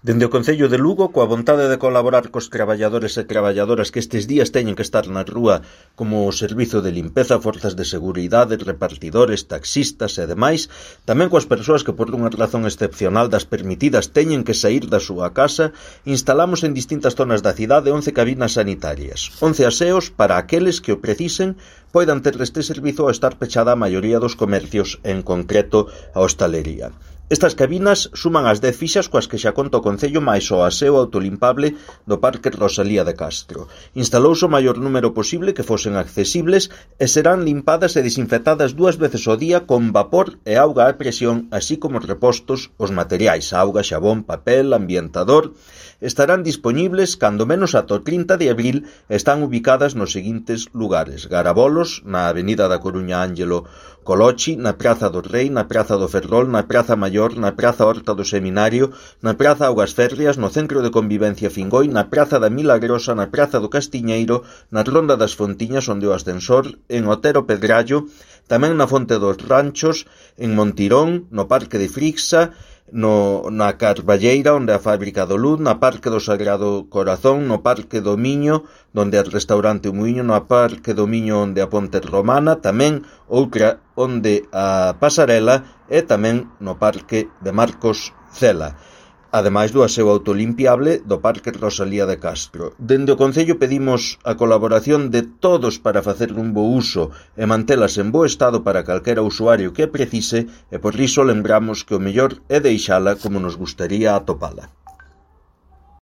Dende o Concello de Lugo, coa vontade de colaborar cos traballadores e traballadoras que estes días teñen que estar na rúa como o servizo de limpeza, forzas de seguridade, repartidores, taxistas e demais, tamén coas persoas que por unha razón excepcional das permitidas teñen que saír da súa casa, instalamos en distintas zonas da cidade 11 cabinas sanitarias, 11 aseos para aqueles que o precisen poidan ter este servizo ao estar pechada a maioría dos comercios, en concreto a hostalería. Estas cabinas suman as 10 fixas coas que xa conta o Concello máis o aseo autolimpable do Parque Rosalía de Castro. Instalouse o maior número posible que fosen accesibles e serán limpadas e desinfectadas 2 veces ao día con vapor e auga a presión, así como repostos os materiais, auga, xabón, papel, ambientador. Estarán dispoñibles cando menos ata o 30 de abril e están ubicadas nos seguintes lugares: Garabolos, na Avenida da Coruña Ángelo Colochi, na Praza do Rei, na Praza do Ferrol, na Praza Maior, na Praza Horta do Seminario, na Praza Augas Férreas, no Centro de Convivencia Fingoi, na Praza da Milagrosa, na Praza do Castiñeiro, na Ronda das Fontiñas, onde o ascensor, en Otero Pedrallo, tamén na Fonte dos Ranchos, en Montirón, no Parque de Frixa, na Carballeira, onde a Fábrica do Luz, na Parque do Sagrado Corazón, no Parque do Miño, onde é o restaurante O Muiño, no Parque do Miño, onde a Ponte Romana, tamén outra onde a Pasarela e tamén no Parque de Marcos Cela, ademais do aseo autolimpiable do Parque Rosalía de Castro. Dende o Concello pedimos a colaboración de todos para facer un bo uso e mantelas en bo estado para calquera usuario que precise, e por iso lembramos que o mellor é deixala como nos gustaría atopala.